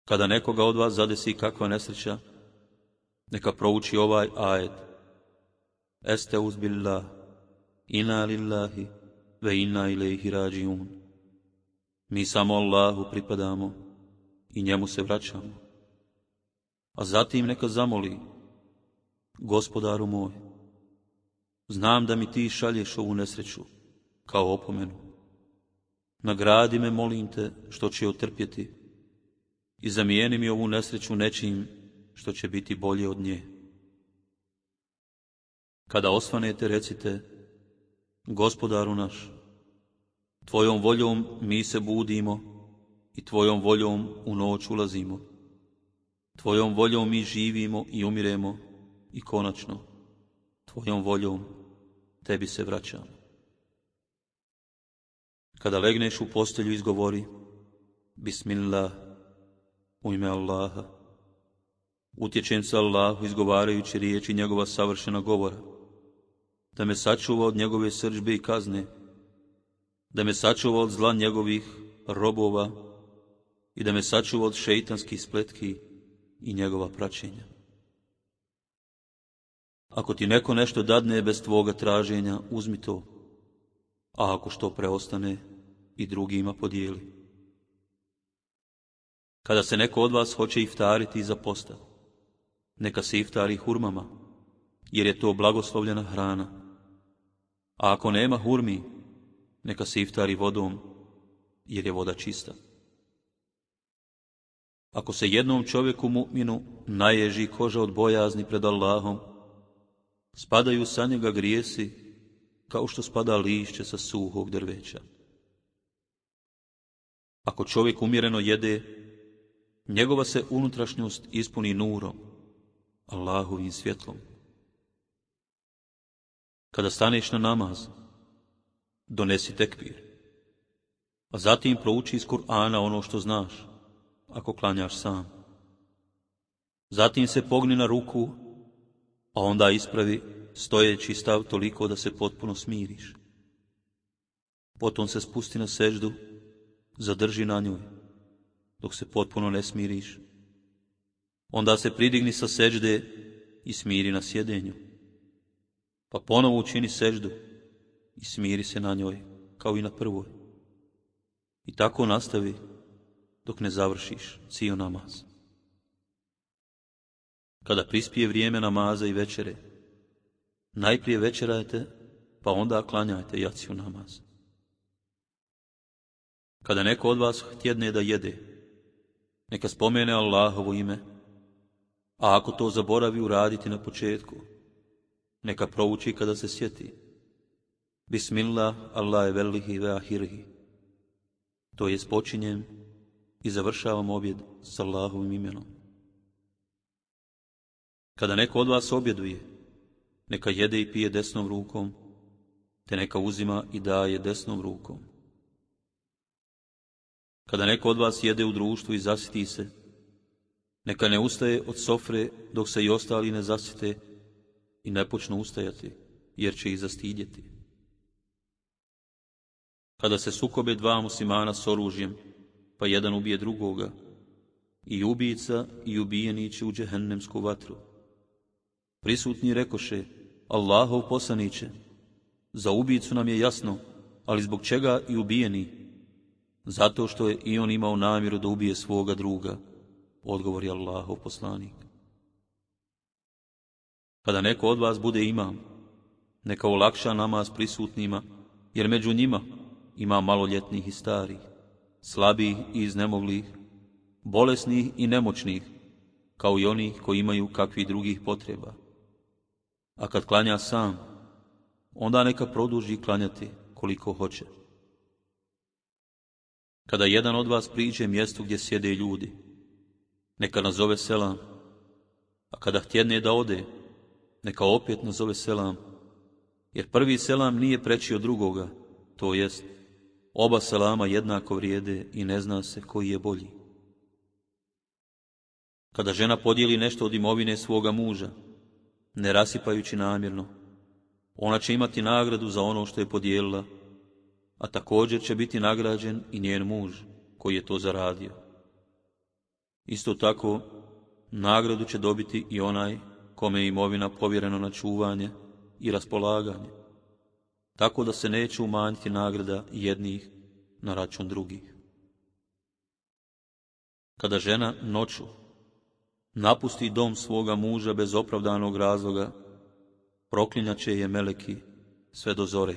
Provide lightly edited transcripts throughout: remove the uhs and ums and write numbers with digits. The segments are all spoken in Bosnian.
Kada nekoga od vas zadesi kakva nesreća, neka prouči ovaj ajet. Esteuz billah, inna lillahi, ve inna ilaihi rađiun. Mi samo Allahu pripadamo i njemu se vraćamo. A zatim neka zamoli, Gospodaru moj, znam da mi ti šalješ ovu nesreću kao opomenu. Nagradi me, molim te, što će otrpjeti i zamijeni mi ovu nesreću nečim što će biti bolje od nje. Kada osvanete, recite, Gospodaru naš, tvojom voljom mi se budimo i tvojom voljom u noć ulazimo. Tvojom voljom mi živimo i umiremo i konačno, tvojom voljom tebi se vraćamo. Kada legneš u postelju, izgovori Bismillah, u ime Allaha. Utječem se Allahu izgovarajući riječi njegova savršena govora, da me sačuva od njegove srdžbe i kazne, da me sačuva od zla njegovih robova i da me sačuva od šeitanskih spletki i njegova praćenja. Ako ti neko nešto dadne bez tvoga traženja, uzmi to, a ako što preostane, i drugima podijeli. Kada se neko od vas hoće iftariti iza posta, neka se iftari hurmama, jer je to blagoslovljena hrana. A ako nema hurmi, neka se iftari vodom, jer je voda čista. Ako se jednom čovjeku mu'minu naježi koža od bojazni pred Allahom, spadaju sa njega grijesi kao što spada lišće sa suhog drveća. Ako čovjek umjereno jede, njegova se unutrašnjost ispuni nurom, Allahovim svjetlom. Kada staneš na namaz, donesi tekbir, a zatim prouči iz Kur'ana ono što znaš, ako klanjaš sam. Zatim se pogni na ruku, a onda ispravi stojeći stav toliko da se potpuno smiriš. Potom se spusti na seždu, zadrži na njoj, dok se potpuno ne smiriš. Onda se pridigni sa sežde i smiri na sjedenju. Pa ponovo učini seždu i smiri se na njoj, kao i na prvoj. I tako nastavi dok ne završiš cijel namaz. Kada prispije vrijeme namaza i večere, najprije večerajte, pa onda klanjajte jaciju namaz. Kada neko od vas htjedne da jede, neka spomene Allahovo ime, a ako to zaboravi uraditi na početku, neka prouči kada se sjeti. Bismillah, Allahe velihi ve ahirihi. To jest počinjem i završavam objed s Allahovim imenom. Kada neko od vas objeduje, neka jede i pije desnom rukom, te neka uzima i daje desnom rukom. Kada neko od vas jede u društvu i zasiti se, neka ne ustaje od sofre dok se i ostali ne zasite i ne počnu ustajati, jer će ih zastidjeti. Kada se sukobe dva muslimana s oružjem, pa jedan ubije drugoga, i ubijica i ubijeni će u džehennemsku vatru. Prisutni rekoše, Allahov poslaniće, za ubijicu nam je jasno, ali zbog čega i ubijeni? Zato što je i on imao namjeru da ubije svoga druga, odgovori Allahov poslanik. Kada neko od vas bude imam, neka olakša namaz prisutnima, jer među njima ima maloljetnih i starih, slabih i iznemoglih, bolesnih i nemoćnih, kao i onih koji imaju kakvih drugih potreba. A kad klanja sam, onda neka produži klanjati koliko hoće. Kada jedan od vas priđe mjestu gdje sjede ljudi, neka nazove selam, a kada htjedne da ode, neka opet nazove selam, jer prvi selam nije preći od drugoga, to jest, oba selama jednako vrijede i ne zna se koji je bolji. Kada žena podijeli nešto od imovine svoga muža, ne rasipajući namjerno, ona će imati nagradu za ono što je podijelila, a također će biti nagrađen i njen muž koji je to zaradio. Isto tako, nagradu će dobiti i onaj kome je imovina povjereno na čuvanje i raspolaganje, tako da se neće umanjiti nagrada jednih na račun drugih. Kada žena noću napusti dom svoga muža bez opravdanog razloga, proklinjaće je meleki sve do zore.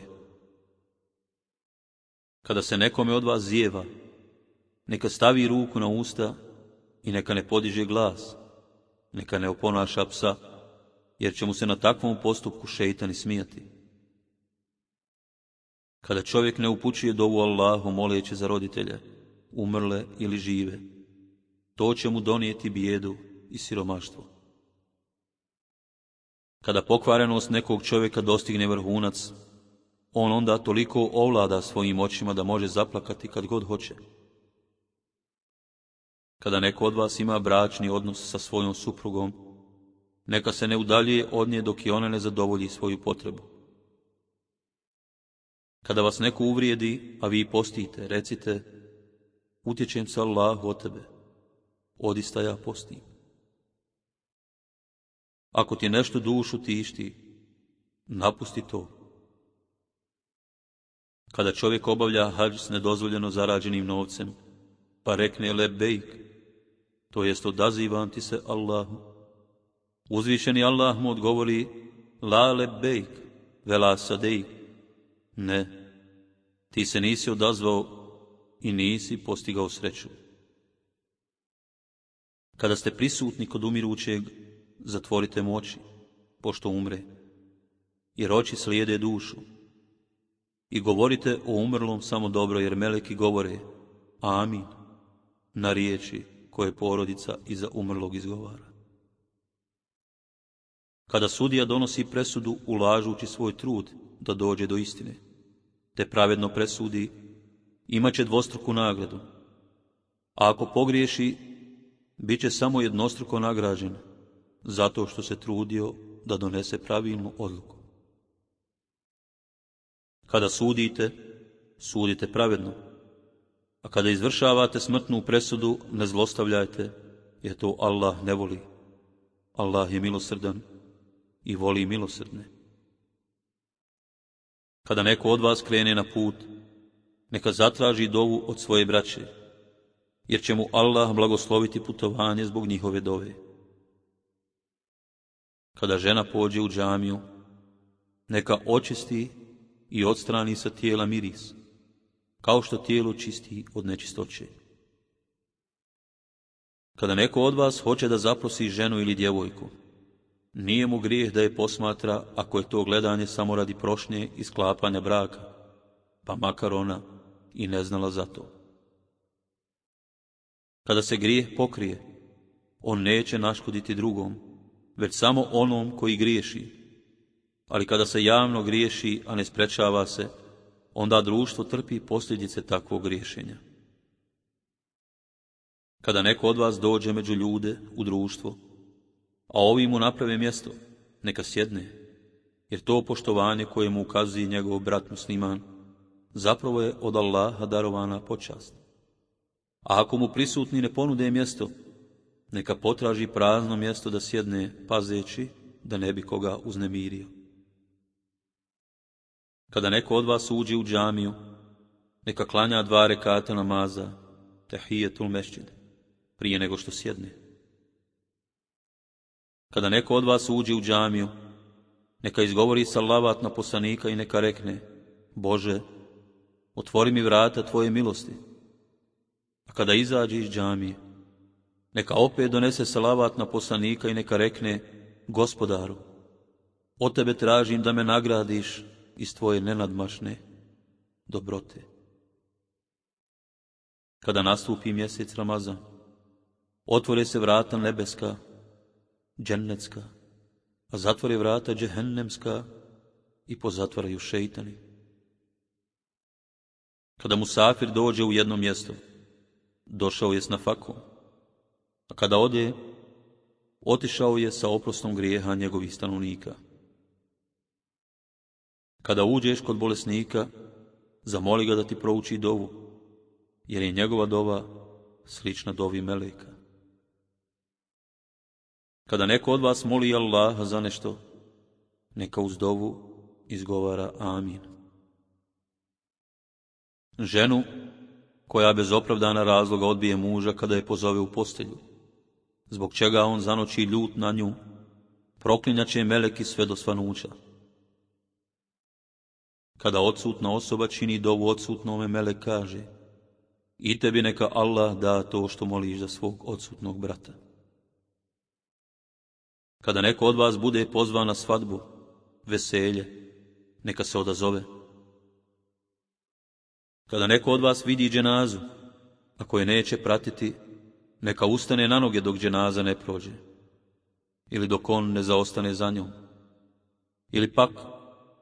Kada se nekome od vas zijeva, neka stavi ruku na usta i neka ne podiže glas, neka ne oponaša psa, jer će mu se na takvom postupku šejtan smijati. Kada čovjek ne upućuje dovu Allahu moleći za roditelje, umrle ili žive, to će mu donijeti bijedu i siromaštvo. Kada pokvarenost nekog čovjeka dostigne vrhunac, on onda toliko ovlada svojim očima da može zaplakati kad god hoće. Kada neko od vas ima bračni odnos sa svojom suprugom, neka se ne udaljuje od nje dok i ona ne zadovolji svoju potrebu. Kada vas neko uvrijedi, a vi postite, recite: utječem se Allahu od tebe, odista ja postim. Ako ti nešto dušu tišti, napusti to. Kada čovjek obavlja hadž s nedozvoljeno zarađenim novcem, pa rekne lebejk, to jest odazivam ti se Allahu, uzvišeni Allah mu odgovori: la lebejk, vela sadejk, ne, ti se nisi odazvao i nisi postigao sreću. Kada ste prisutni kod umirućeg, zatvorite mu oči, pošto umre, jer oči slijede dušu. I govorite o umrlom samo dobro, jer meleki govore amin na riječi koje porodica iza umrlog izgovara. Kada sudija donosi presudu ulažući svoj trud da dođe do istine, te pravedno presudi, imaće dvostruku nagradu, a ako pogriješi, bit će samo jednostruko nagrađen, zato što se trudio da donese pravilnu odluku. Kada sudite, sudite pravedno, a kada izvršavate smrtnu presudu, ne zlostavljajte, jer to Allah ne voli. Allah je milosrdan i voli milosrdne. Kada neko od vas krene na put, neka zatraži dovu od svoje braće, jer će mu Allah blagosloviti putovanje zbog njihove dove. Kada žena pođe u džamiju, neka očisti i odstrani sa tijela miris, kao što tijelo čisti od nečistoće. Kada neko od vas hoće da zaprosi ženu ili djevojku, nije mu grijeh da je posmatra ako je to gledanje samo radi prošnje i sklapanja braka, pa makar ona i ne znala za to. Kada se grijeh pokrije, on neće naškoditi drugom, već samo onom koji griješi. Ali kada se javno griješi, a ne sprečava se, onda društvo trpi posljedice takvog griješenja. Kada neko od vas dođe među ljude u društvo, a ovi mu naprave mjesto, neka sjedne, jer to poštovanje koje mu ukazuje njegov brat musliman, zapravo je od Allaha darovana počast. A ako mu prisutni ne ponude mjesto, neka potraži prazno mjesto da sjedne, pazeći da ne bi koga uznemirio. Kada neko od vas uđe u džamiju, neka klanja 2 rekata namaza, tehijetul mešćid, prije nego što sjedne. Kada neko od vas uđe u džamiju, neka izgovori salavat na poslanika i neka rekne: Bože, otvori mi vrata tvoje milosti. A kada izađe iz džamije, neka opet donese salavat na poslanika i neka rekne: Gospodaru, od tebe tražim da me nagradiš iz tvoje nenadmašne dobrote. Kada nastupi mjesec Ramazan, otvore se vrata nebeska, džennetska, a zatvore vrata džehennemska i pozatvaraju šejtani. Kada musafir dođe u jedno mjesto, došao je s nafakom, a kada ode, otišao je sa oprostom grijeha njegovih stanovnika. Kada uđeš kod bolesnika, zamoli ga da ti prouči dovu, jer je njegova dova slična dovi meleka. Kada neko od vas moli Allaha za nešto, neka uz dovu izgovara amin. Ženu koja bez opravdana razloga odbije muža kada je pozove u postelju, zbog čega on zanoći ljut na nju, proklinjaće meleki sve do svanuća. Kada odsutna osoba čini dovu odsutnome, melek kaže: i tebi neka Allah da to što moliš za svog odsutnog brata. Kada neko od vas bude pozvan na svadbu, veselje, neka se odazove. Kada neko od vas vidi dženazu, ako je neće pratiti, neka ustane na noge dok dženaza ne prođe, ili dok on ne zaostane za njom, ili pak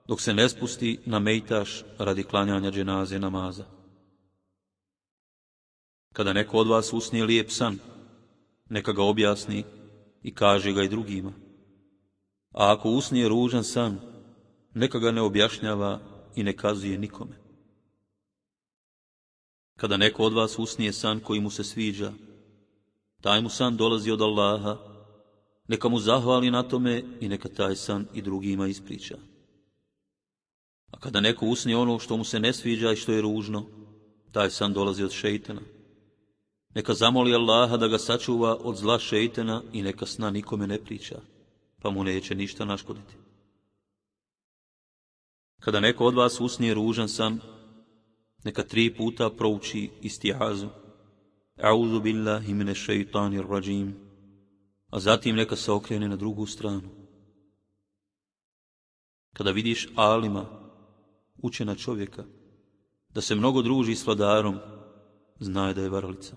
dok se ne spusti na mejtaš radi klanjanja dženaze namaza. Kada neko od vas usnije lijep san, neka ga objasni i kaže ga i drugima. A ako usnije ružan san, neka ga ne objašnjava i ne kazuje nikome. Kada neko od vas usnije san koji mu se sviđa, taj mu san dolazi od Allaha, neka mu zahvali na tome i neka taj san i drugima ispriča. A kada neko usnije ono što mu se ne sviđa i što je ružno, taj san dolazi od šejtana. Neka zamoli Allaha da ga sačuva od zla šejtana i neka sna nikome ne priča, pa mu neće ništa naškoditi. Kada neko od vas usnije ružan san, neka 3 puta prouči istiazu: A'udhu billahi mineš šeitanir rajim, a zatim neka se okrene na drugu stranu. Kada vidiš alima, učena čovjeka, da se mnogo druži s vladarom, znaj da je varalica.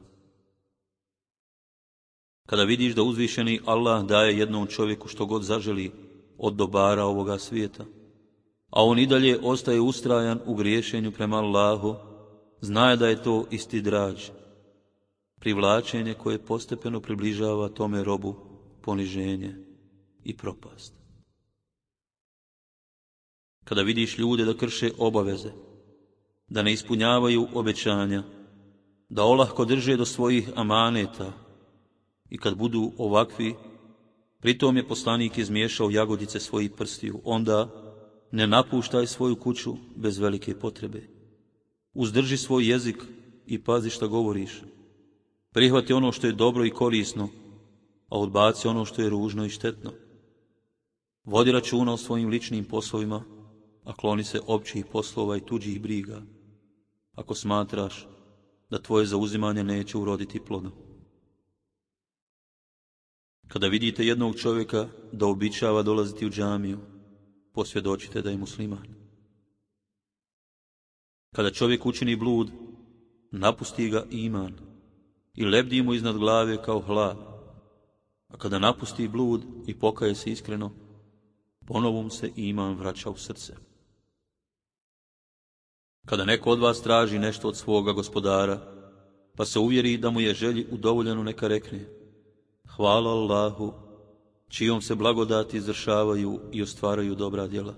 Kada vidiš da uzvišeni Allah daje jednom čovjeku što god zaželi od dobara ovoga svijeta, a on i dalje ostaje ustrajan u griješenju prema Allahu, znaj da je to istidrađ, privlačenje koje postepeno približava tome robu poniženje i propast. Kada vidiš ljude da krše obaveze, da ne ispunjavaju obećanja, da olahko drže do svojih amaneta, i kad budu ovakvi, pritom je poslanik izmiješao jagodice svojih prstiju, onda ne napuštaj svoju kuću bez velike potrebe. Uzdrži svoj jezik i pazi šta govoriš. Prihvati ono što je dobro i korisno, a odbaci ono što je ružno i štetno. Vodi računa o svojim ličnim poslovima, a kloni se općih poslova i tuđih briga, ako smatraš da tvoje zauzimanje neće uroditi plodom. Kada vidite jednog čovjeka da običava dolaziti u džamiju, posvjedočite da je musliman. Kada čovjek učini blud, napusti ga iman i lebdi mu iznad glave kao hlad, a kada napusti blud i pokaje se iskreno, ponovo mu se iman vraća u srce. Kada neko od vas traži nešto od svoga gospodara, pa se uvjeri da mu je želji udovoljeno, neka rekne: hvala Allahu, čijom se blagodati izvršavaju i ostvaraju dobra djela.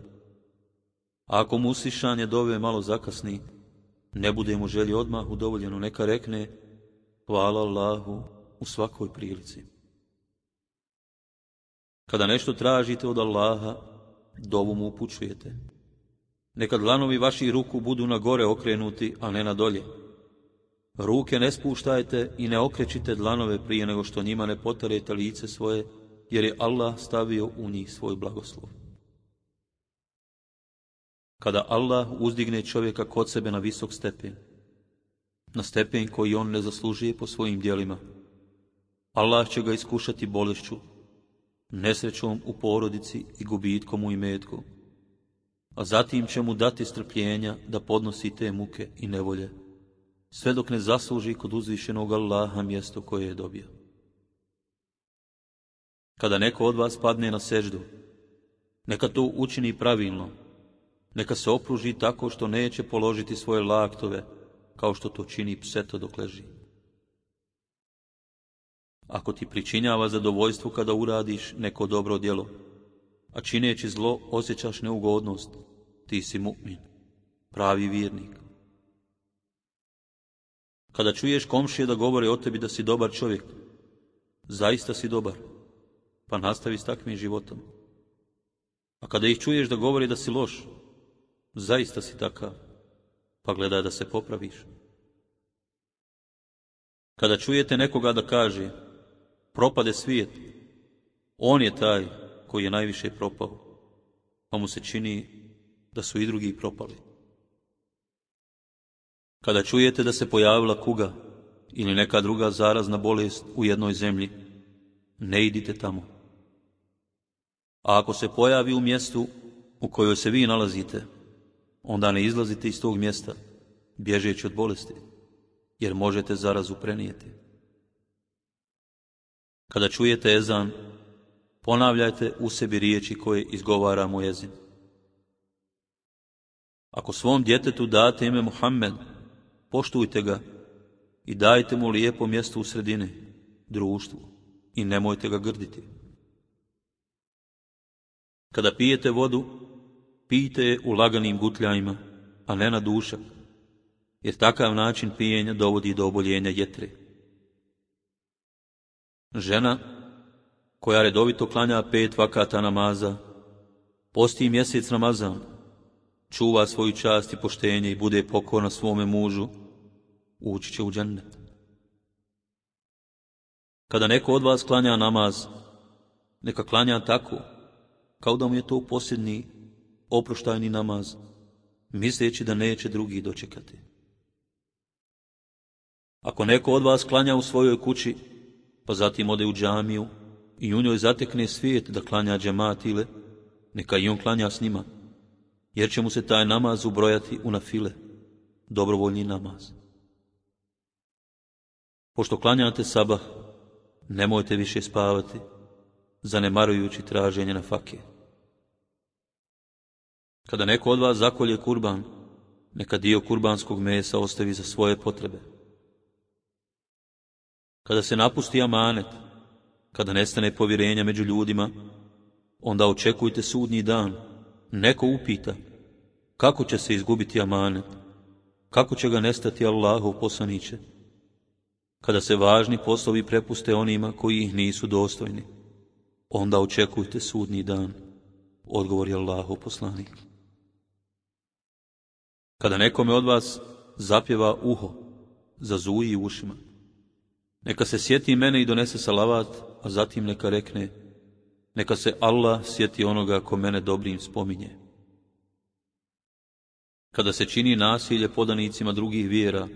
A ako mu uslišanje dove malo zakasni, ne bude mu želji odmah udovoljeno, neka rekne: hvala Allahu u svakoj prilici. Kada nešto tražite od Allaha, dovu mu upućujete. Neka dlanovi vaših ruku budu na gore okrenuti, a ne na dolje. Ruke ne spuštajte i ne okrećite dlanove prije nego što njima ne potarete lice svoje, jer je Allah stavio u njih svoj blagoslov. Kada Allah uzdigne čovjeka kod sebe na visok stepen, na stepen koji on ne zaslužuje po svojim djelima, Allah će ga iskušati bolešću, nesrećom u porodici i gubitkom u imetku, a zatim će mu dati strpljenja da podnosi te muke i nevolje, sve dok ne zasluži kod uzvišenog Allaha mjesto koje je dobio. Kada neko od vas padne na seždu, neka to učini pravilno, neka se opruži tako što neće položiti svoje laktove, kao što to čini pseto dok leži. Ako ti pričinjava zadovoljstvo kada uradiš neko dobro djelo, a čineći zlo osjećaš neugodnost, ti si mu'min, pravi vjernik. Kada čuješ komšije da govore o tebi da si dobar čovjek, zaista si dobar, pa nastavi s takvim životom. A kada ih čuješ da govori da si loš, zaista si takav, pa gledaj da se popraviš. Kada čujete nekoga da kaže, propade svijet, on je taj koji je najviše propao, pa mu se čini da su i drugi propali. Kada čujete da se pojavila kuga ili neka druga zarazna bolest u jednoj zemlji, ne idite tamo. A ako se pojavi u mjestu u kojoj se vi nalazite, onda ne izlazite iz tog mjesta, bježeći od bolesti, jer možete zarazu prenijeti. Kada čujete ezan, ponavljajte u sebi riječi koje izgovara muezin. Ako svom djetetu date ime Muhammed, poštujte ga i dajte mu lijepo mjesto u sredini, društvu, i nemojte ga grditi. Kada pijete vodu, pijte je u laganim gutljajima, a ne na dušak, jer takav način pijenja dovodi do oboljenja jetre. Žena koja redovito klanja 5 vakata namaza, posti mjesec Ramazan, čuva svoju čast i poštenje i bude pokorna svome mužu, ući će u džennet. Kada neko od vas klanja namaz, neka klanja tako, kao da mu je to posljednji oproštajni namaz, misleći da neće drugi dočekati. Ako neko od vas klanja u svojoj kući, pa zatim ode u džamiju i u njoj zatekne svijet da klanja džemat ile, neka i on klanja s njima, jer će mu se taj namaz ubrojati u nafile, dobrovoljni namaz. Pošto klanjate sabah, nemojte više spavati, zanemarujući traženje na fake. Kada neko od vas zakolje kurban, neka dio kurbanskog mesa ostavi za svoje potrebe. Kada se napusti amanet, kada nestane povjerenja među ljudima, onda očekujte sudnji dan. Neko upita, kako će se izgubiti amanet, kako će ga nestati Allahov poslaniće, kada se važni poslovi prepuste onima koji ih nisu dostojni, onda očekujte sudnji dan, odgovori Allahov poslanik. Kada nekome od vas zapjeva uho, zazuji ušima, neka se sjeti mene i donese salavat, a zatim neka rekne, neka se Allah sjeti onoga ko mene dobrim spominje. Kada se čini nasilje podanicima drugih vjera,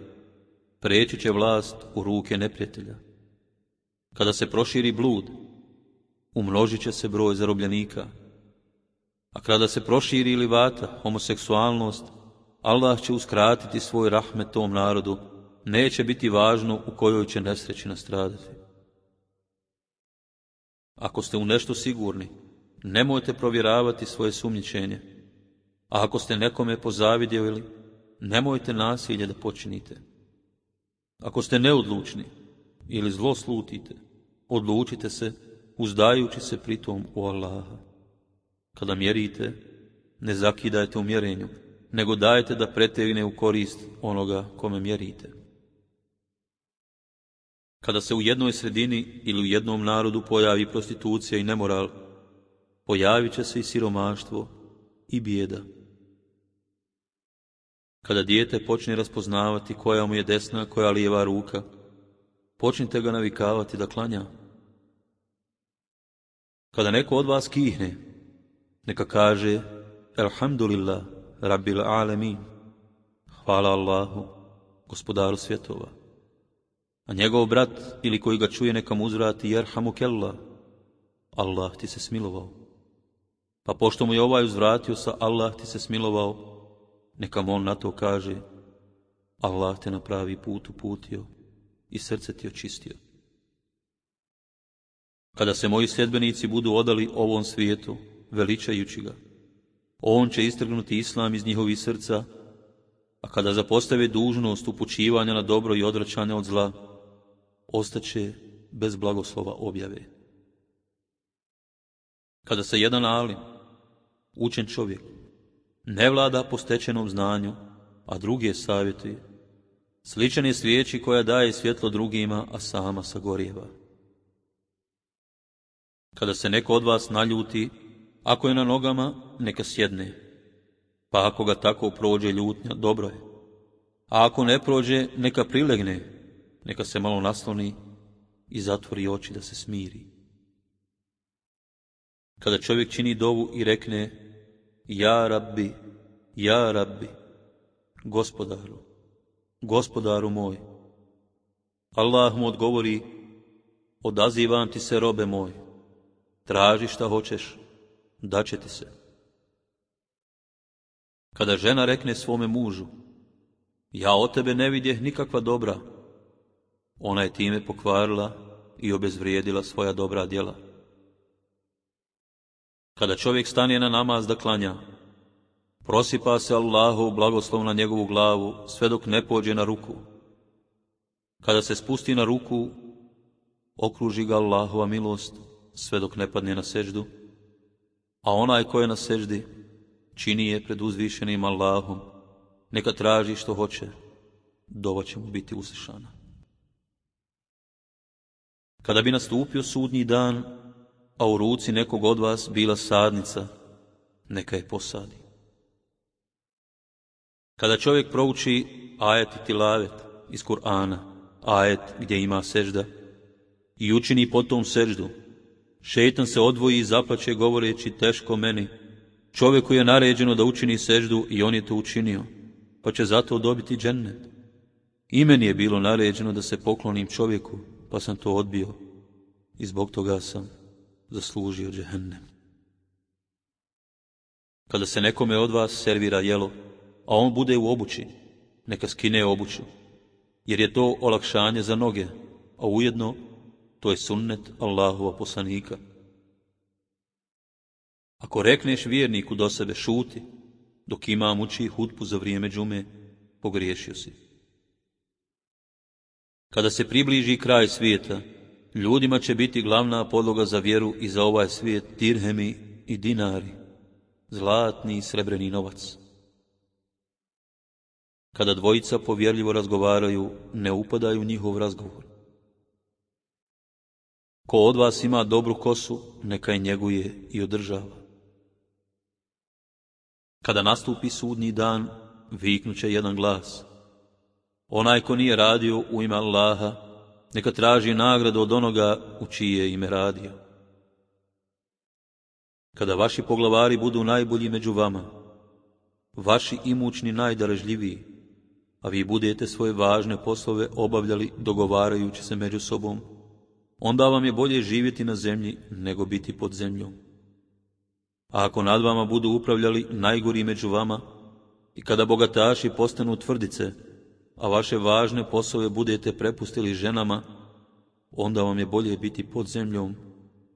preći će vlast u ruke neprijatelja. Kada se proširi blud, umnožit će se broj zarobljenika. A kada se proširi livata, homoseksualnost, Allah će uskratiti svoj rahmet tom narodu, neće biti važno u kojoj će nesreći nastradati. Ako ste u nešto sigurni, nemojte provjeravati svoje sumnjičenje. A ako ste nekome pozavidjeli, nemojte nasilje da počinite. Ako ste neodlučni ili zlo slutite, odlučite se, uzdajući se pritom u Allaha. Kada mjerite, ne zakidajte u mjerenju, nego dajte da pretegne u korist onoga kome mjerite. Kada se u jednoj sredini ili u jednom narodu pojavi prostitucija i nemoral, pojavit će se i siromaštvo i bijeda. Kada dijete počne raspoznavati koja mu je desna, koja lijeva ruka, počnite ga navikavati da klanja. Kada neko od vas kihne, neka kaže Elhamdulillah, Rabbil Alemin, hvala Allahu, gospodaru svjetova. A njegov brat ili koji ga čuje neka mu uzvrati Jerhamukellah, Allah ti se smilovao. Pa pošto mu je ovaj uzvratio sa Allah ti se smilovao, neka mu on na to kaže Allah te na pravi put uputio i srce ti očistio. Kada se moji sljedbenici budu odali ovom svijetu, veličajući ga, on će istrgnuti islam iz njihovih srca, a kada zapostave dužnost upućivanja na dobro i odvraćanja od zla, ostaće bez blagoslova objave. Kada se jedan alim, učen čovjek, ne vlada po stečenom znanju, a druge savjetuje, sličan je svijeći koja daje svjetlo drugima, a sama sagorijeva. Kada se neko od vas naljuti, ako je na nogama, neka sjedne, pa ako ga tako prođe ljutnja, dobro je. A ako ne prođe, neka prilegne, neka se malo nasloni i zatvori oči da se smiri. Kada čovjek čini dovu i rekne: Ja Rabbi, ja Rabbi, Gospodaru, Gospodaru moj, Allah mu odgovori: Odazivam ti se, robe moj, traži šta hoćeš, daće ti se. Kada žena rekne svome mužu: Ja od tebe ne vidjeh nikakva dobra, ona je time pokvarila i obezvrijedila svoja dobra djela. Kada čovjek stane na namaz da klanja, prosipa se Allahov blagoslov na njegovu glavu sve dok ne pođe na ruku. Kada se spusti na ruku, okruži ga Allahova milost sve dok ne padne na seždu, a onaj ko je na seždi čini je pred uzvišenim Allahom, neka traži što hoće, dova će mu biti uslišana. Kada bi nastupio sudnji dan, a u ruci nekog od vas bila sadnica, neka je posadi. Kada čovjek prouči ajet i tilavet iz Kur'ana, ajet gdje ima sežda, i učini potom seždu, šejtan se odvoji i zaplače govoreći: Teško meni, čovjeku je naređeno da učini seždu i on je to učinio, pa će zato dobiti džennet. I meni je bilo naređeno da se poklonim čovjeku, pa sam to odbio i zbog toga sam zaslužio džehennem. Kada se nekome od vas servira jelo, a on bude u obući, neka skine obuću, jer je to olakšanje za noge, a ujedno to je sunnet Allahova poslanika. Ako rekneš vjerniku do sebe: Šuti, dok imam uči hutbu za vrijeme džume, pogriješio si. Kada se približi kraj svijeta, ljudima će biti glavna podloga za vjeru i za ovaj svijet dirhemi i dinari, zlatni i srebreni novac. Kada dvojica povjerljivo razgovaraju, ne upadaju u njihov razgovor. Ko od vas ima dobru kosu, neka je njeguje i održava. Kada nastupi sudnji dan, viknuće jedan glas: Onaj ko nije radio u ime Allaha, neka traži nagradu od onoga u čije ime radio. Kada vaši poglavari budu najbolji među vama, vaši imućni najdarežljiviji, a vi budete svoje važne poslove obavljali dogovarajući se među sobom, onda vam je bolje živjeti na zemlji nego biti pod zemljom. A ako nad vama budu upravljali najgori među vama, i kada bogataši postanu tvrdice, a vaše važne poslove budete prepustili ženama, onda vam je bolje biti pod zemljom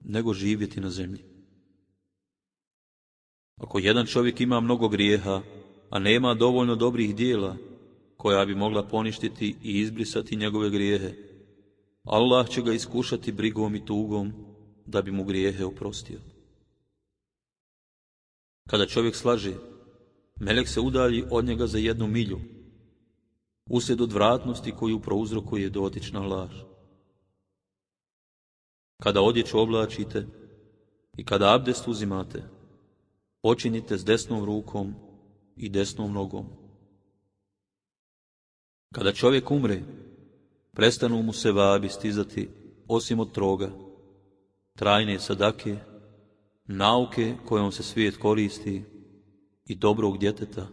nego živjeti na zemlji. Ako jedan čovjek ima mnogo grijeha, a nema dovoljno dobrih dijela koja bi mogla poništiti i izbrisati njegove grijehe, Allah će ga iskušati brigom i tugom da bi mu grijehe oprostio. Kada čovjek slaže, melek se udalji od njega za 1 milju, uslijed odvratnosti koju prouzrokuje dotična laž. Kada odjeću oblačite i kada abdest uzimate, počinite s desnom rukom i desnom nogom. Kada čovjek umre, prestanu mu se vabi stizati osim od 3, trajne sadake, nauke kojom se svijet koristi i dobrog djeteta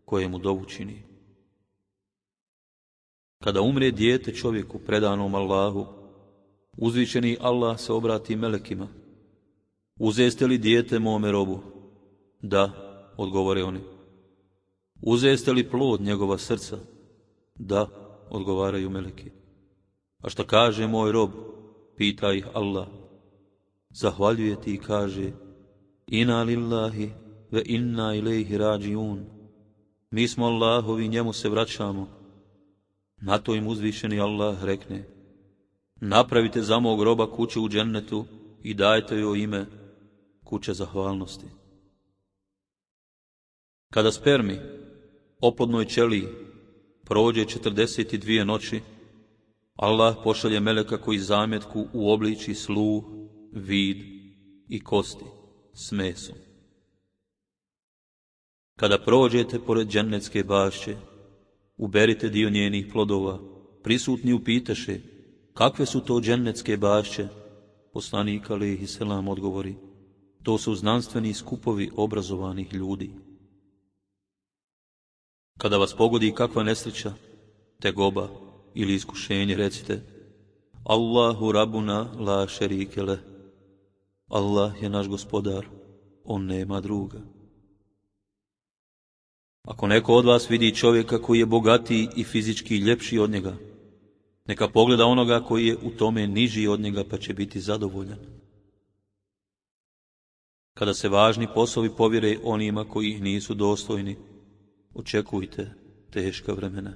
koje mu dovu čini. Kada umre dijete čovjeku predanom Allahu, uzvišeni Allah se obrati melekima: Uzeste li dijete mome robu? Da, odgovore oni. Uzeste li plod njegova srca? Da, odgovaraju meleki. A šta kaže moj rob? Pita ih Allah. Zahvaljuje ti i kaže: Inna lillahi ve inna ilejhi rađiun. Mi smo Allahovi, njemu se vraćamo. Na to im uzvišeni Allah rekne: Napravite za mog roba kuću u džennetu i dajte joj ime kuća zahvalnosti. Kada spermi, oplodnoj ćeliji, prođe 42 noći, Allah pošalje meleka koji zametku uobliči sluh, vid i kosti s mesom. Kada prođete pored džennetske bašće, uberite dio njenih plodova. Prisutni upitaše, kakve su to džennetske bašće? Poslanik alejhi selam odgovori, to su znanstveni skupovi obrazovanih ljudi. Kada vas pogodi kakva nesreća, tegoba ili iskušenje, recite, Allahu Rabbuna la šerike leh. Allah je naš gospodar, on nema druga. Ako neko od vas vidi čovjeka koji je bogatiji i fizički ljepši od njega, neka pogleda onoga koji je u tome niži od njega, pa će biti zadovoljan. Kada se važni poslovi povjere onima koji ih nisu dostojni, očekujte teška vremena.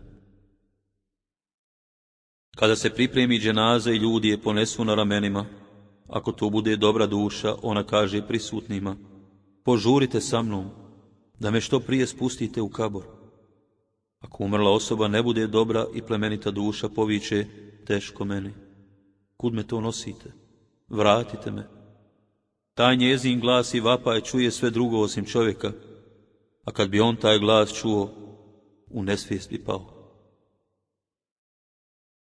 Kada se pripremi dženaza i ljudi je ponesu na ramenima, ako to bude dobra duša, ona kaže prisutnima, požurite sa mnom, da me što prije spustite u kabor. Ako umrla osoba ne bude dobra i plemenita duša, poviče, teško meni, kud me to nosite, vratite me. Taj njezin glas i vapaj čuje sve drugo osim čovjeka, a kad bi on taj glas čuo, u nesvijest bi pao.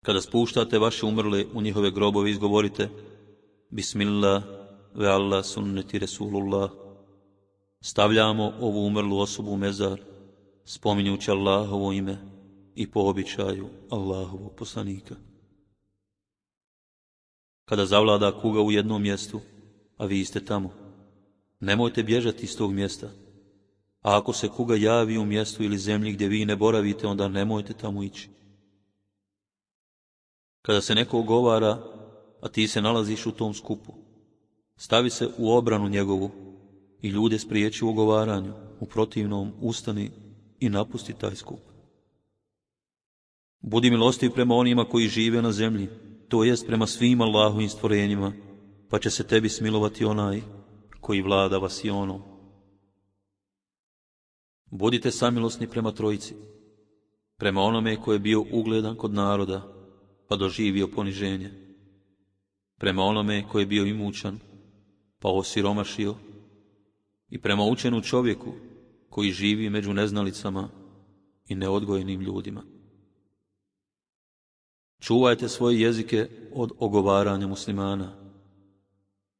Kada spuštate vaše umrle u njihove grobove, izgovorite, Bismillah ve Allah sunneti Resulullah. Stavljamo ovu umrlu osobu u mezar, spominjući Allahovo ime i po običaju Allahovog poslanika. Kada zavlada kuga u jednom mjestu, a vi ste tamo, nemojte bježati iz tog mjesta. A ako se kuga javi u mjestu ili zemlji gdje vi ne boravite, onda nemojte tamo ići. Kada se neko ogovara, a ti se nalaziš u tom skupu, stavi se u obranu njegovu i ljude spriječi u ogovaranju, u protivnom ustani i napusti taj skup. Budi milostiv prema onima koji žive na zemlji, to jest prema svim Allahovim stvorenjima, pa će se tebi smilovati onaj koji vlada vasionom. Budite samilosni prema trojici, prema onome koji je bio ugledan kod naroda, pa doživio poniženje, prema onome koji je bio imućan, pa osiromašio, i prema učenu čovjeku koji živi među neznalicama i neodgojenim ljudima. Čuvajte svoje jezike od ogovaranja muslimana,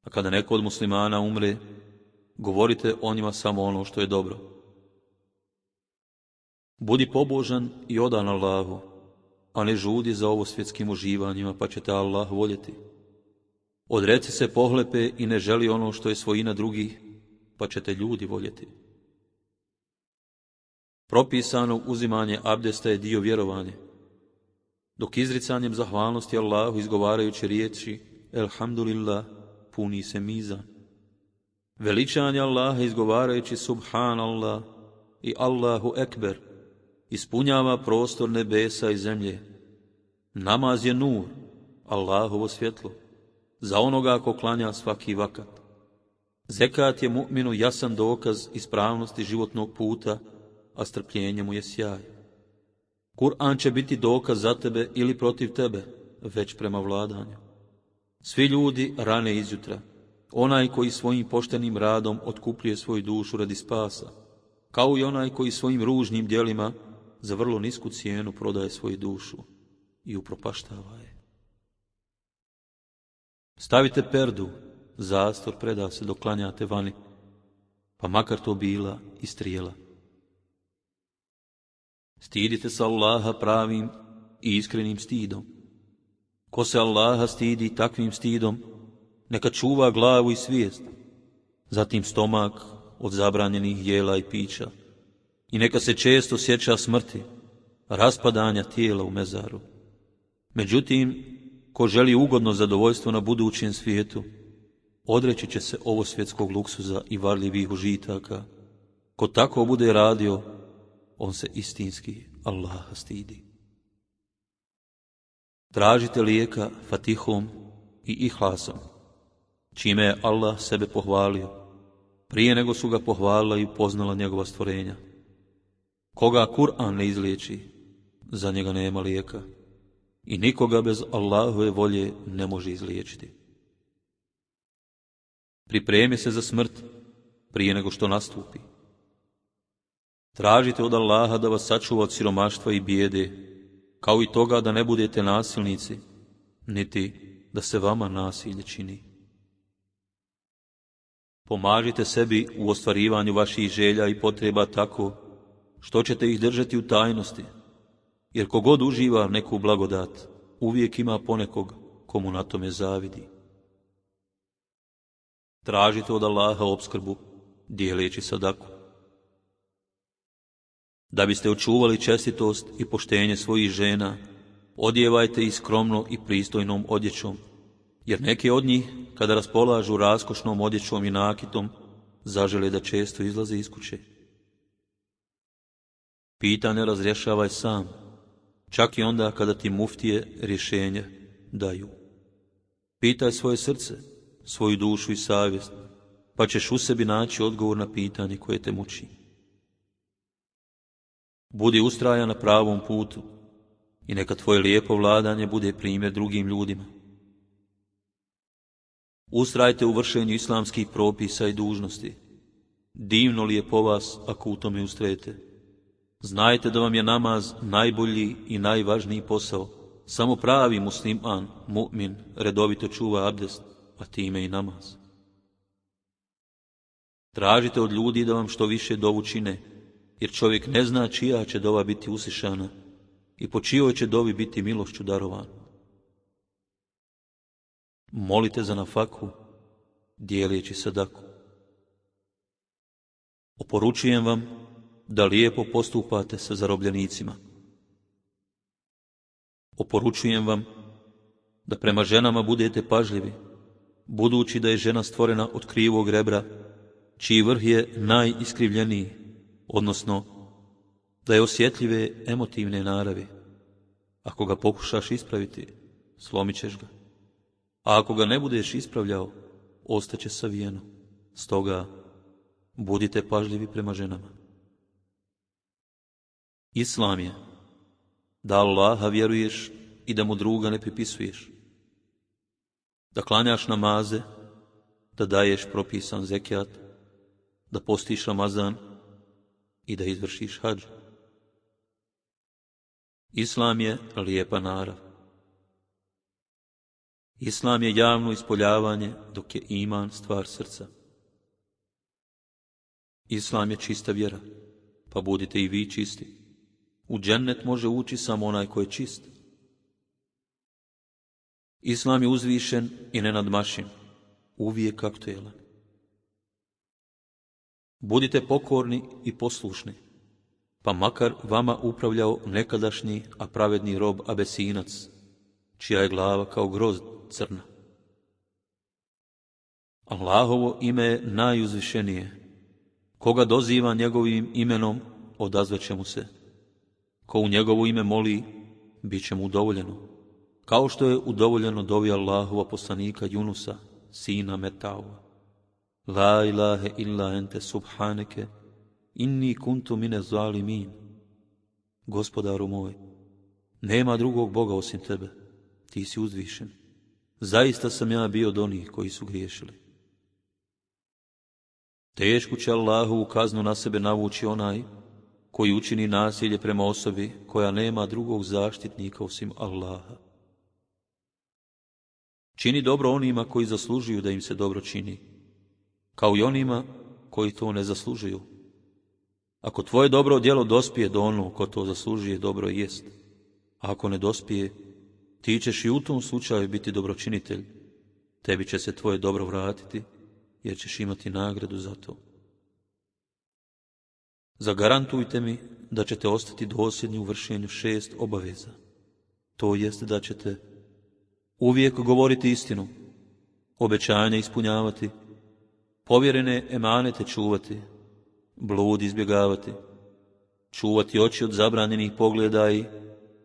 a kada neko od muslimana umre, govorite o njima samo ono što je dobro. Budi pobožan i odan Allahu, a ne žudi za ovo svjetskim uživanjima, pa će te Allah voljeti. Odreci se pohlepe i ne želi ono što je svojina drugih, pa će te ljudi voljeti. Propisano uzimanje abdesta je dio vjerovanja, dok izricanjem zahvalnosti Allahu, izgovarajući riječi Elhamdulillah, puni se mizan. Veličanje Allaha, izgovarajući Subhanallah i Allahu Ekber, ispunjava prostor nebesa i zemlje. Namaz je nur, Allahovo svjetlo, za onoga ko klanja svaki vakat. Zekat je mu'minu jasan dokaz ispravnosti životnog puta, a strpljenje mu je sjaj. Kur'an će biti dokaz za tebe ili protiv tebe, već prema vladanju. Svi ljudi rane izjutra, onaj koji svojim poštenim radom otkupljuje svoju dušu radi spasa, kao i onaj koji svojim ružnim djelima za vrlo nisku cijenu prodaje svoju dušu i upropaštava je. Stavite perdu, zastor preda se dok klanjate vani, pa makar to bila i strijela. Stidite se Allaha pravim i iskrenim stidom. Ko se Allaha stidi takvim stidom, neka čuva glavu i svijest, zatim stomak od zabranjenih jela i pića, i neka se često sjeća smrti, raspadanja tijela u mezaru. Međutim, ko želi ugodno zadovoljstvo na budućem svijetu, odreći će se ovo svjetskog luksuza i varljivih užitaka. Ko tako bude radio, on se istinski Allaha stidi. Tražite lijeka Fatihom i Ihlasom, čime je Allah sebe pohvalio, prije nego su ga pohvalila i upoznala njegova stvorenja. Koga Kur'an ne izliječi, za njega nema lijeka, i nikoga bez Allahove volje ne može izliječiti. Pripremi se za smrt prije nego što nastupi. Tražite od Allaha da vas sačuva od siromaštva i bijede, kao i toga da ne budete nasilnici, niti da se vama nasilje čini. Pomažite sebi u ostvarivanju vaših želja i potreba tako što ćete ih držati u tajnosti, jer kogod uživa neku blagodat, uvijek ima ponekog komu na tome zavidi. Tražite od Allaha opskrbu, dijeleći sadaku. Da biste očuvali čestitost i poštenje svojih žena, odjevajte ih skromno i pristojnom odjećom, jer neke od njih, kada raspolažu raskošnom odjećom i nakitom, zažele da često izlaze iz kuće. Pitanje razrješavaj sam, čak i onda kada ti muftije rješenje daju. Pitaj svoje srce, svoju dušu i savjest, pa ćeš u sebi naći odgovor na pitanje koje te muči. Budi ustrajan na pravom putu i neka tvoje lijepo vladanje bude primjer drugim ljudima. Ustrajte u vršenju islamskih propisa i dužnosti. Divno li je po vas ako u tome ustrajete. Znajte da vam je namaz najbolji i najvažniji posao. Samo pravi musliman, mu'min, redovito čuva abdest, a time i namaz. Tražite od ljudi da vam što više dovu čine, jer čovjek ne zna čija će dova biti uslišana i po čijoj će dovi biti milošću darovan. Molite za nafaku, dijeleći sadaku. Oporučujem vam da lijepo postupate sa zarobljenicima. Oporučujem vam da prema ženama budete pažljivi, budući da je žena stvorena od krivog rebra, čiji vrh je najiskrivljeniji, odnosno da je osjetljive emotivne naravi. Ako ga pokušaš ispraviti, slomit ćeš ga. A ako ga ne budeš ispravljao, ostaće savijeno. Stoga, budite pažljivi prema ženama. Islam je da Allaha vjeruješ i da mu druga ne pripisuješ, da klanjaš namaze, da daješ propisan zekijat, da postiš Ramazan i da izvršiš hadž. Islam je lijepa narav. Islam je javno ispoljavanje, dok je iman stvar srca. Islam je čista vjera, pa budite i vi čisti. U džennet može ući samo onaj ko je čist. Islam je uzvišen i nenadmašen, uvijek aktuelan. Budite pokorni i poslušni, pa makar vama upravljao nekadašnji, a pravedni rob Abesinac, čija je glava kao grozd crna. Allahovo ime je najuzvišenije. Koga doziva njegovim imenom, odazvaće mu se. Ko u njegovo ime moli, bit će mu udovoljeno. Kao što je udovoljeno dovi Allahova poslanika Junusa, sina Metaua. La ilahe illa ente subhaneke, inni kuntu mine zalimin. Gospodaru moj, nema drugog Boga osim tebe, ti si uzvišen. Zaista sam ja bio od onih koji su griješili. Tešku će Allahovu kaznu na sebe navući onaj koji učini nasilje prema osobi koja nema drugog zaštitnika osim Allaha. Čini dobro onima koji zaslužuju da im se dobro čini, kao i onima koji to ne zaslužuju. Ako tvoje dobro djelo dospije do onog ko to zaslužuje, dobro jest. A ako ne dospije, ti ćeš i u tom slučaju biti dobročinitelj. Tebi će se tvoje dobro vratiti, jer ćeš imati nagradu za to. Zagarantujte mi da ćete ostati dosljedni u vršenju 6 obaveza. To jest da ćete uvijek govoriti istinu, obećanja ispunjavati, povjerene emanete čuvati, blud izbjegavati, čuvati oči od zabranjenih pogleda i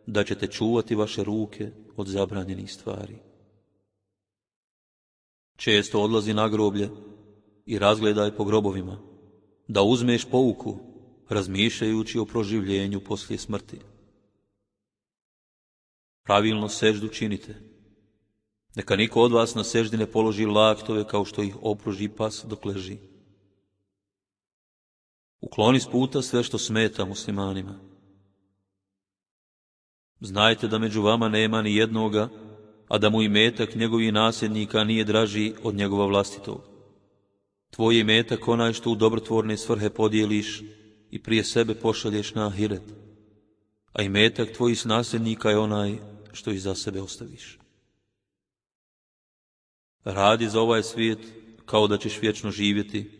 da ćete čuvati vaše ruke od zabranjenih stvari. Često odlazi na groblje i razgledaj po grobovima, da uzmeš pouku, razmišljajući o proživljenju poslije smrti. Pravilno seždu činite, Neka niko od vas na seždi ne položi laktove kao što ih opruži pas dok leži. Ukloni s puta sve što smeta muslimanima. Znajte da među vama nema ni jednoga, a da mu imetak njegovih nasljednika nije draži od njegova vlastitog. Tvoj imetak onaj što u dobrotvorne svrhe podijeliš i prije sebe pošalješ na ahiret, a imetak tvojih nasljednika je onaj što iza sebe ostaviš. Radi za ovaj svijet kao da ćeš vječno živjeti,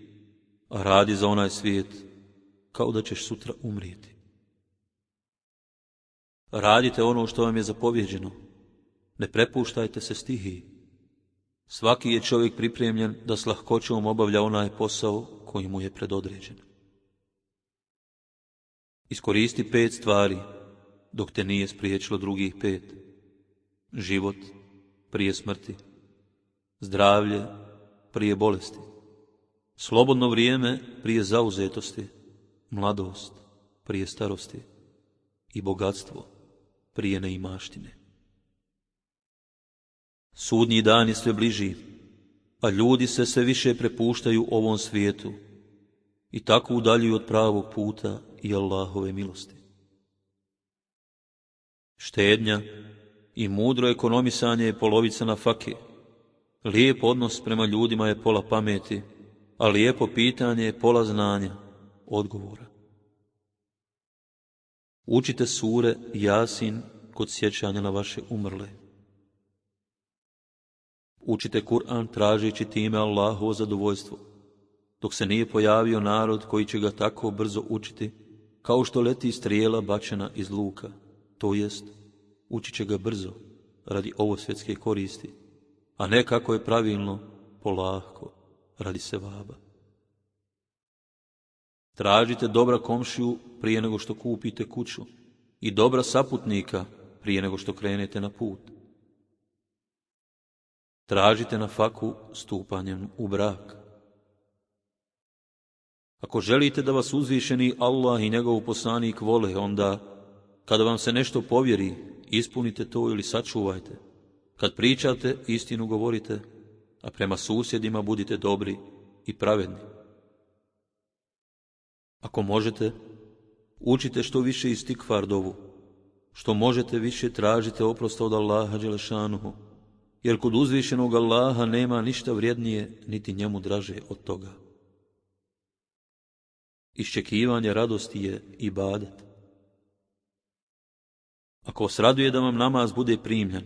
a radi za onaj svijet kao da ćeš sutra umrijeti. Radite ono što vam je zapovjeđeno, ne prepuštajte se stihiji. Svaki je čovjek pripremljen da s lahkoćom obavlja onaj posao koji mu je predodređen. Iskoristi 5 stvari, dok te nije spriječilo drugih 5. Život prije smrti, zdravlje prije bolesti, slobodno vrijeme prije zauzetosti, mladost prije starosti i bogatstvo prije neimaštine. Sudnji dan je sve bliži, a ljudi se sve više prepuštaju ovom svijetu i tako udaljuju od pravog puta i Allahove milosti. Štednja i mudro ekonomisanje je polovica nafake. Lijep odnos prema ljudima je pola pameti, a lijepo pitanje je pola znanja, odgovora. Učite sure Jasin kod sjećanja na vaše umrle. Učite Kur'an tražeći time Allahovo zadovoljstvo, dok se nije pojavio narod koji će ga tako brzo učiti, kao što leti strijela bačena iz luka, to jest, učit će ga brzo, radi ovosvjetske koristi, a ne kako je pravilno, polako, radi sevaba. Tražite dobra komšiju prije nego što kupite kuću i dobra saputnika prije nego što krenete na put. Tražite nafaku stupanjem u brak. Ako želite da vas uzvišeni Allah i njegov poslanik vole, onda, kada vam se nešto povjeri, ispunite to ili sačuvajte. Kad pričate, istinu govorite, a prema susjedima budite dobri i pravedni. Ako možete, učite što više istikfar dovu, što možete više tražite oprosta od Allaha dželešanuhu, jer kod uzvišenog Allaha nema ništa vrijednije, niti njemu draže od toga. Iščekivanje radosti je ibadet. Ako vas raduje da vam namaz bude primljen,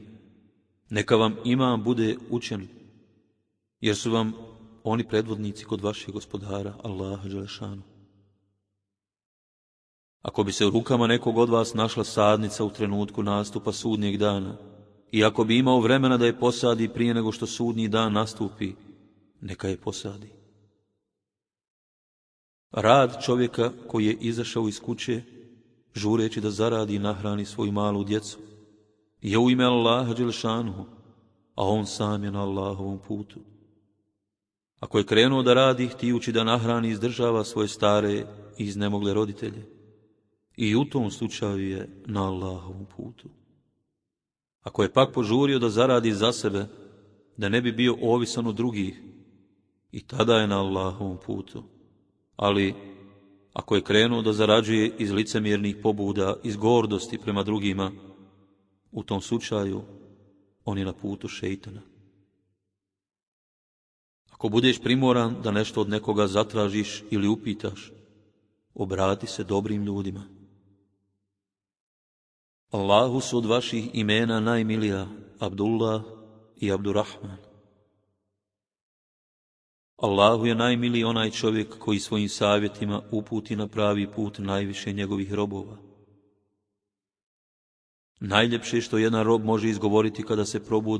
neka vam imam bude učen, jer su vam oni predvodnici kod vašeg gospodara, Allaha dželešanu. Ako bi se u rukama nekog od vas našla sadnica u trenutku nastupa sudnjeg dana, i ako bi imao vremena da je posadi prije nego što sudnji dan nastupi, neka je posadi. Rad čovjeka koji je izašao iz kuće, žureći da zaradi i nahrani svoju malu djecu, je u ime Allaha dželešanuhu, a on sam je na Allahovom putu. Ako je krenuo da radi, htijući da nahrani i izdržava svoje stare i iznemogle roditelje, i u tom slučaju je na Allahovom putu. Ako je pak požurio da zaradi za sebe, da ne bi bio ovisan od drugih, i tada je na Allahovom putu. Ali, ako je krenuo da zarađuje iz licemjernih pobuda, iz gordosti prema drugima, u tom slučaju on je na putu šejtana. Ako budeš primoran da nešto od nekoga zatražiš ili upitaš, obrati se dobrim ljudima. Allahu su od vaših imena najmilija Abdullah i Abdurrahman. Allahu je najmiliji onaj čovjek koji svojim savjetima uputi na pravi put najviše njegovih robova. Najljepše što jedan rob može izgovoriti kada se probudi